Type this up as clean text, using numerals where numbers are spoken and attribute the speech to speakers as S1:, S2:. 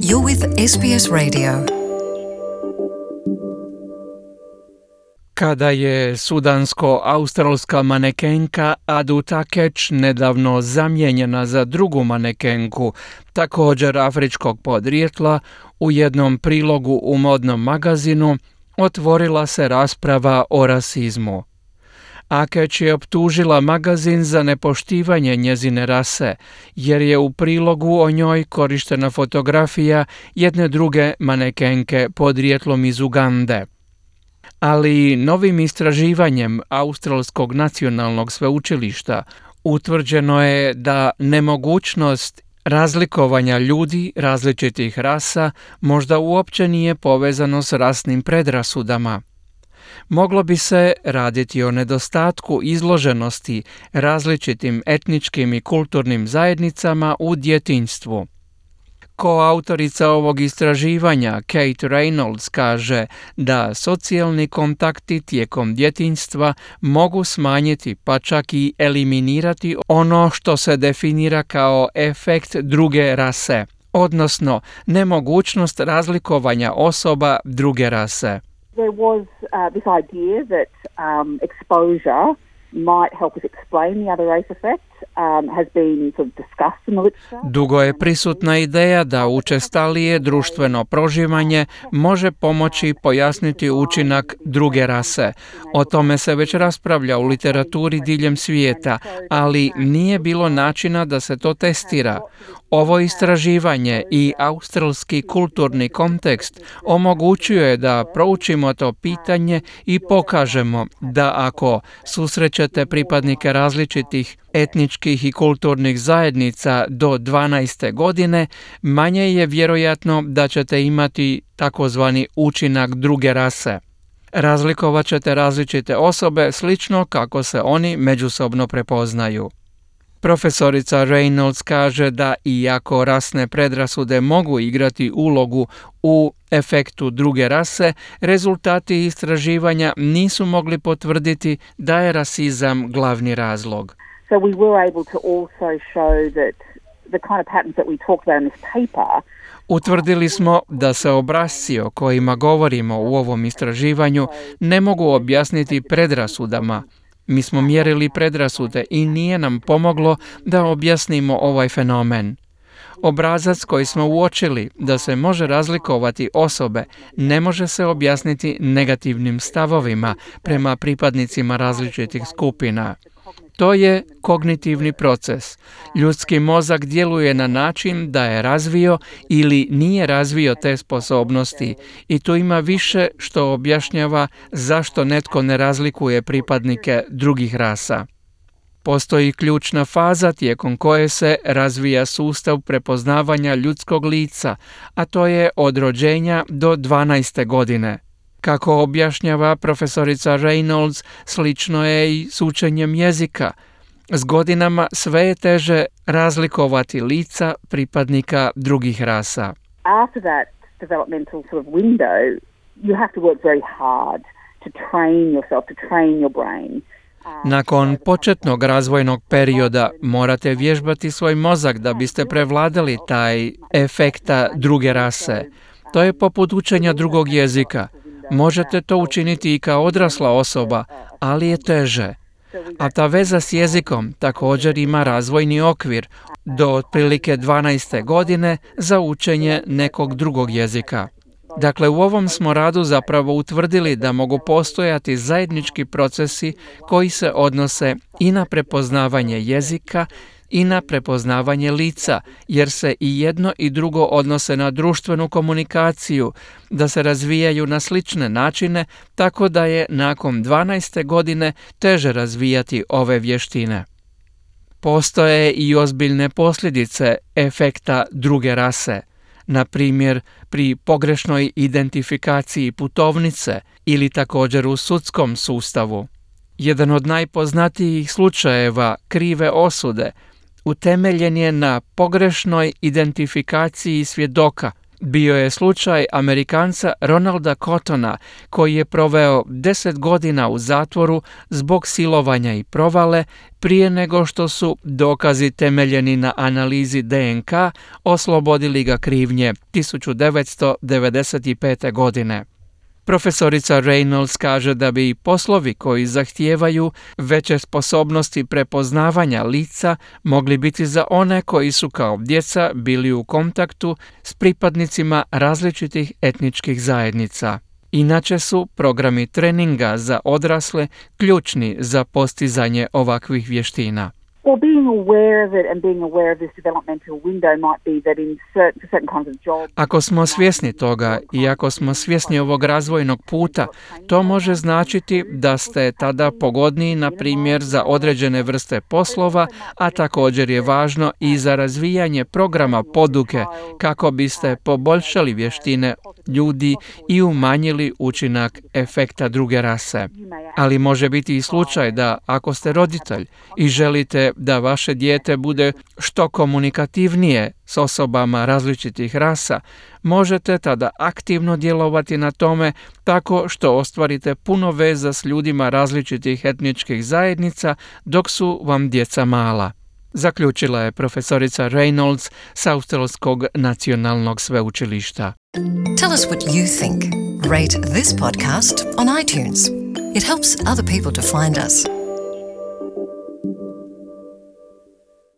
S1: You're with SBS Radio. Kada je sudansko-australska manekenka Adu Takech nedavno zamijenjena za drugu manekenku, također afričkog podrijetla, u jednom prilogu u modnom magazinu otvorila se rasprava o rasizmu. Akech je optužila magazin za nepoštivanje njezine rase, jer je u prilogu o njoj korištena fotografija jedne druge manekenke podrijetlom iz Ugande. Ali novim istraživanjem Australskog nacionalnog sveučilišta utvrđeno je da nemogućnost razlikovanja ljudi različitih rasa možda uopće nije povezano s rasnim predrasudama. Moglo bi se raditi o nedostatku izloženosti različitim etničkim i kulturnim zajednicama u djetinjstvu. Koautorica ovog istraživanja, Kate Reynolds, kaže da socijalni kontakti tijekom djetinjstva mogu smanjiti pa čak i eliminirati ono što se definira kao efekt druge rase, odnosno nemogućnost razlikovanja osoba druge rase.
S2: There was this idea that exposure might help us explain the other race effect. Has been sort of discussed in the literature.
S1: Dugo je prisutna ideja da učestalije društveno proživanje može pomoći pojasniti učinak druge rase. O tome se već raspravlja u literaturi diljem svijeta, ali nije bilo načina da se to testira. Ovo istraživanje i australski kulturni kontekst omogućuje da proučimo to pitanje i pokažemo da ako susrećete pripadnike različitih etničkih i kulturnih zajednica do 12. godine, manje je vjerojatno da ćete imati takozvani učinak druge rase. Razlikovat ćete različite osobe slično kako se oni međusobno prepoznaju. Profesorica Reynolds kaže da iako rasne predrasude mogu igrati ulogu u efektu druge rase, rezultati istraživanja nisu mogli potvrditi da je rasizam glavni razlog.
S2: So we were able to also show that the kind of patterns that we talked about in this paper.
S1: Utvrdili smo da se obrasci o kojima govorimo u ovom istraživanju ne mogu objasniti predrasudama. Mi smo mjerili predrasude i nije nam pomoglo da objasnimo ovaj fenomen. Obrazac koji smo uočili da se može razlikovati osobe ne može se objasniti negativnim stavovima prema pripadnicima različitih skupina. To je kognitivni proces. Ljudski mozak djeluje na način da je razvio ili nije razvio te sposobnosti i tu ima više što objašnjava zašto netko ne razlikuje pripadnike drugih rasa. Postoji ključna faza tijekom koje se razvija sustav prepoznavanja ljudskog lica, a to je od rođenja do 12. godine. Kako objašnjava profesorica Reynolds, slično je i s učenjem jezika. S godinama sve je teže razlikovati lica pripadnika drugih rasa.
S2: After that developmental sort of window, you have to work very hard to train yourself, to train your brain.
S1: Nakon početnog razvojnog perioda morate vježbati svoj mozak da biste prevladali taj efekta druge rase. To je poput učenja drugog jezika. Možete to učiniti i kao odrasla osoba, ali je teže. A ta veza s jezikom također ima razvojni okvir do otprilike 12. godine za učenje nekog drugog jezika. Dakle, u ovom smo radu zapravo utvrdili da mogu postojati zajednički procesi koji se odnose i na prepoznavanje jezika i na prepoznavanje lica, jer se i jedno i drugo odnose na društvenu komunikaciju, da se razvijaju na slične načine, tako da je nakon 12. godine teže razvijati ove vještine. Postoje i ozbiljne posljedice efekta druge rase, na primjer pri pogrešnoj identifikaciji putovnice ili također u sudskom sustavu. Jedan od najpoznatijih slučajeva krive osude utemeljen je na pogrešnoj identifikaciji svjedoka. bio je slučaj Amerikanca Ronalda Cottona, koji je proveo 10 godina u zatvoru zbog silovanja i provale prije nego što su dokazi temeljeni na analizi DNK oslobodili ga krivnje 1995. godine. Profesorica Reynolds kaže da bi poslovi koji zahtijevaju veće sposobnosti prepoznavanja lica mogli biti za one koji su kao djeca bili u kontaktu s pripadnicima različitih etničkih zajednica. Inače su programi treninga za odrasle ključni za postizanje ovakvih vještina.
S2: Well, being aware of it and being aware of this developmental window might be that in certain kinds of jobs.
S1: Ako smo svjesni toga i ako smo svjesni ovog razvojnog puta, to može značiti da ste tada pogodniji, na primjer, za određene vrste poslova, a također je važno i za razvijanje programa poduke kako biste poboljšali vještine ljudi i umanjili učinak efekta druge rase. Ali može biti i slučaj da ako ste roditelj i želite da vaše dijete bude što komunikativnije s osobama različitih rasa, možete tada aktivno djelovati na tome tako što ostvarite puno veza s ljudima različitih etničkih zajednica dok su vam djeca mala. Zaključila je profesorica Reynolds s Australskog nacionalnog sveučilišta.
S3: Tell us what you think. Rate this podcast on iTunes. It helps other people to find us.